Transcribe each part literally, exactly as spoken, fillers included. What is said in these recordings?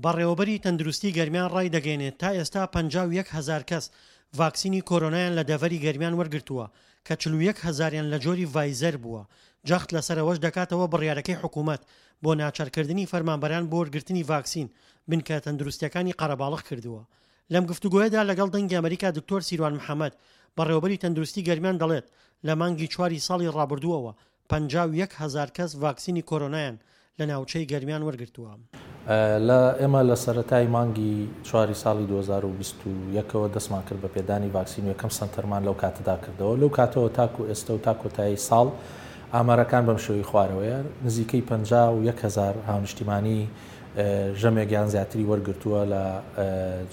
بەڕێوەبەری تەندروستی گەرمیان ڕایدەگەیەنێت، تا ئێستا پەنجا و یەک هەزار کەس ڤاکسینی کۆرۆنایان لە دەڤەری گەرمیان وەرگرتووە کە چل و یەک هەزاریان لە جۆری ڤایزەر بووە، جەخت لەسەر ئەوەش دەکاتەوە بڕیارەکەی حکوومەت بۆ ناچارکردنی فەرمانبەران بۆ وەرگرتنی ڤاکسین بنکە تەندروستیەکانی قەرەباڵغ کردووە. لەم گفتوگۆیەدا لەگەڵ دەنگی ئەمریکا دکتۆر سیروان محەمەد بەڕێوەبەری تەندروستی گەرمیان دەڵێت، لە مانگی چواری ساڵی ڕابردووەوە پەنجا و یەک هەزار کەس ڤاکسینی کۆرۆنایان لە ناوچەی گەرمیان وەرگرتووە. لە ئێمە لە سەرەتای مانگی چواری ساڵی دوو هەزار و بیست و یەک ەوە دەستمان کرد بە پێدانی ڤاکسین و یەکەم سەنتەرمان لەو کاتەدا کردەوە. لەو کاتەوە تاکو ئێستا و تا کۆتایی ساڵ ئامارەکان بەم شێوەی خوارەوەیە. نزیکەی پەنجا و یەک هەزار هاونیشتیمانی ژەمێک یان زیاتری وەرگرتووە لە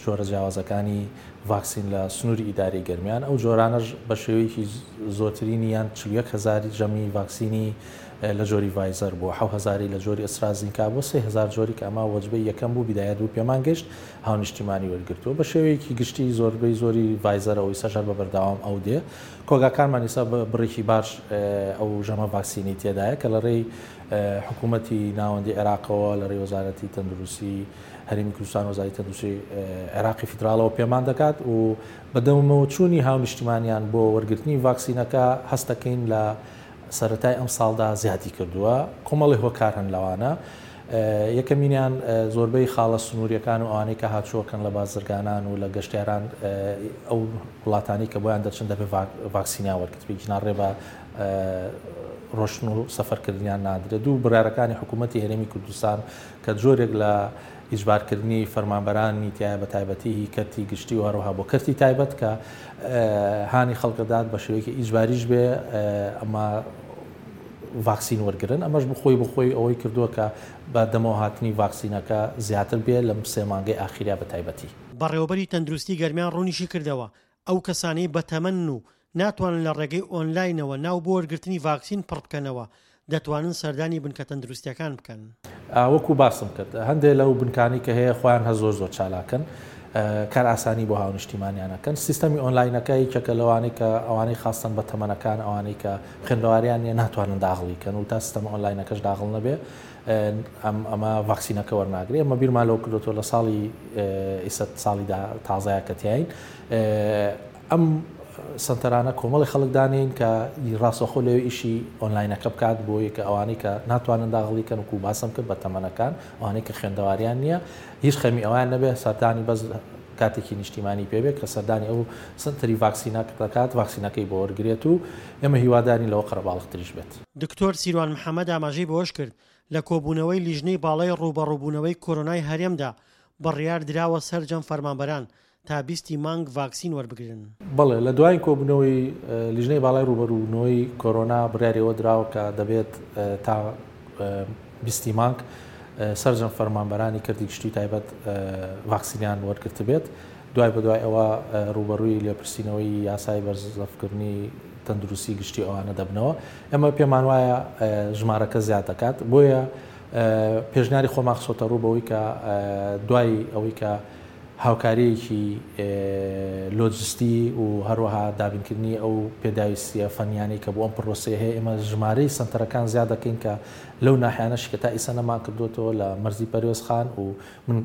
جۆرە جیاوازەکانی ڤاکسین لە سنووری ئیداری گەرمیان. ئەو جۆرانەش بە شێوەیەکی زۆترینی یان چل و یەک هەزار ژەمی ڤاکسینی لە جۆری ڤایزەر بووە، حەو هەزاری لە جۆری ئەسترازینکا بووە، سێ هەزار جۆری کە ئەمە وەجبەی یەکەم بوو بیدایەت بوو پێمان گەشت هاونیشتیمانی وەرگرتووە. بە شێوەیەکی گشتی زۆربەی زۆری ڤایزەرەوەی سەر بە بەردەوام ئەو دێ. کۆگاکانمان ئێستا بڕێکی باش ئەو ژەمە ڤاکسینی تێدایە کە لە ڕێی حکوومەتی ناوەندی عێراقەوە لە ڕێی وەزارەتی تەندروستی هەرێمی کوردستان وەزارەتی تەندروستی عێراقی فیدراڵەوە پێمان دەکات و بەدەمەوە چوونی هاونیشتیمانیان بۆ وەرگرتنی ڤاکسینەکە هەستەکەین لە سەرەتای ئەم ساڵدا زیادی کردووە. کۆمەڵی هۆکار هەن لەوانە. یەکەمینیان زۆربەی خاڵە سنووریەکان و ئەوانەی کە هاچووەکەن لە بازرگانان و لە گەشتیاران ئەو وڵاتانی کە بۆیان دەچن دەبێت ڤاکسینیان وەرگرت، بێگینا ڕێ بە ڕۆشتن و سەفەرکردنیان نادرێت. دوو بڕیارەکانی حکوومەتی هەرێمی کوردستان کە جۆرێک لە ئیجبارکردنی فەرمانبەرانی تایە بە تایبەتی هی کەرتی گشتی و هەروەها بۆ کەرتی تایبەت کە هانی خەڵکەدات بە شێوەیەکی ئیجباریش بێ ئەمە ڤاکسین وەرگرن. ئەمەش بخۆی بخۆی ئەوەی کردووە کە بە دەمەوە هاتنی ڤاکسینەکە زیاتر بێ لەم سێ مانگەی ئاخیریا بە تایبەتی. بەڕێوەبەری تەندروستی گەرمیان ڕوونیشی کردەوە ئەو کەسانەی بەتەمەنن و ناتوانن لە ڕێگەی ئۆنلاینەوە ناو بۆ وەرگرتنی ڤاکسین پڕ بکەنەوە دەتوانن سەردانی بنکە تەندروستیەکان بکەن. وەکو باسم کرد هەندێک لەو بنکانی کە هەیە خۆیان هە زۆر زۆر چالاکن، کار ئاسانی بۆ هاونیشتیمانیانەکەن. سیستەمی ئۆنلاینەکە یەکێکە لەوانەی کە ئەوانەی خاستن بە تەمەنەکان، ئەوانەی کە خوێندەواریان نییە ناتوانن داغڵی کەن و تا سیستەمە ئۆنلاینەکەش داغڵ نەبێ ئەمە ڤاکسینەکە وەرناگرێ. ئەمە بیرمان لەو کردوەوە لە ساڵی ئیسە ساڵی تازەیە کە تیاین ئەم سەنتەرانە کۆمەڵی خەڵک دانین کە ڕاستەوخۆ لەوێ ئیشی ئۆنلاینەکە بکات بۆ یەکە ئەوانەی کە ناتوانن داغڵی کەن وەکو باسم کرد بە تەمەنەکان، ئەوانەی کە خوێندەواریان نییە هیچ خەمی ئەوان نەبێ سەردانی بەس کاتێکی نیشتیمانی پێبێت کە سەردانی ئەو سەنتەری ڤاکسینەکە دەکات ڤاکسینەکەی بۆ وەرگرێت و ئێمە هیوادارین لەوە قەرەباڵغتریش بێت. دکتۆر سیروان محەمەد ئاماژەی بەوەش کرد لە کۆبوونەوەی لیژنەی باڵای ڕووبەڕووبوونەوەی کۆرۆنای هەرێمدا بڕیار دراوە سەرجەم فەرمانبەران تا بیستی مانگ ڤاکسین وەربگرن. بەڵێ لە دوای کۆبوونەوەی لیژنەی باڵای ڕووبەڕووبوونەوەی کۆرۆنا بڕیاریەوە دراوە کە دەبێت تا بیستی مانگ سەرجەم فەرمانبەرانی کەرتی گشتی تایبەت ڤاکسینیان وەرگرت بێت. دوای بەدوای ئەوە ڕووبەڕووی لێپرسینەوەی یاسای بەرزەفکردنی تەندروستی گشتی ئەوانە دەبنەوە. ئێمە پێمان وایە ژمارەکە زیاد دەکات، بۆیە پێشنیاری خۆمان خستۆتە ڕوو بەوەی کە دوای ئەوەی کە هاوکاریەکی لۆجستی و هەروەها دابینکردنی ئەو پێداویستیە فەنیانەی کە بۆ ئەم پرۆسەیە هەیە، ئێمە ژمارەی سەنتەرەکان زیاد دەکەین کە لەو ناحیانەش کە تا ئیسا نەمان کردوێتەوە لە مەرزی پەروێزخان و من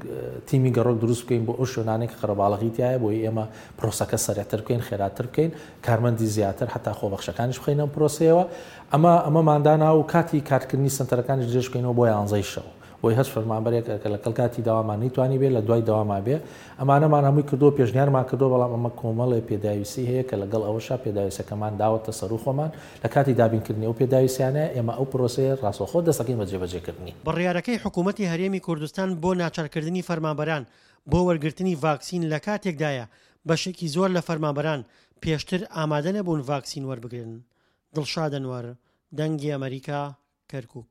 تیمی گەڕۆک دروست بکەین بۆ ئەو شوێنانەی کە قەرەباڵغی تایە، بۆی ئێمە پرۆسەکە سەرێتر بکەین، خێراتر بکەین، کارمەندی زیاتر حتا خۆبەخشەکانیش بخەینە ئەم پرۆسەیەوە. ئەمە ئەمەماندانا و کاتی کارکردنی سەنتەرەکانیش درێژ بکەینەوە بۆ یانزەی شەو، بۆی هەر فەرمانبەرێک کە لەگەڵ کاتی داوامان نەیتوانی بێ لە دوای داواما بێ. ئەمانەمان هەمووی کردووە، پێشنیارمان کردووە، بەڵام ئەمە کۆمەڵێ پێداویستی هەیە کە لەگەڵ ئەوەشا پێداویستەکەمان داوەتە سەر و خۆمان لە کاتی دابینکردنی ئەو پێداویستیانە ئێمە ئەو پرۆسەیە ڕاستەوخۆ دەستەکەین بە جێبەجێکردنی. بڕیارەکەی حکوومەتی هەرێمی کوردستان بۆ ناچارکردنی فەرمانبەران بۆ وەرگرتنی ڤاکسین لە کاتێکدایە بەشێکی زۆر لە فەرمانبەران پێشتر ئامادە نەبوون ڤاکسین وەربگرن. دڵشاد ئەنوەر، دەنگی ئەمریکا، کەرکووک.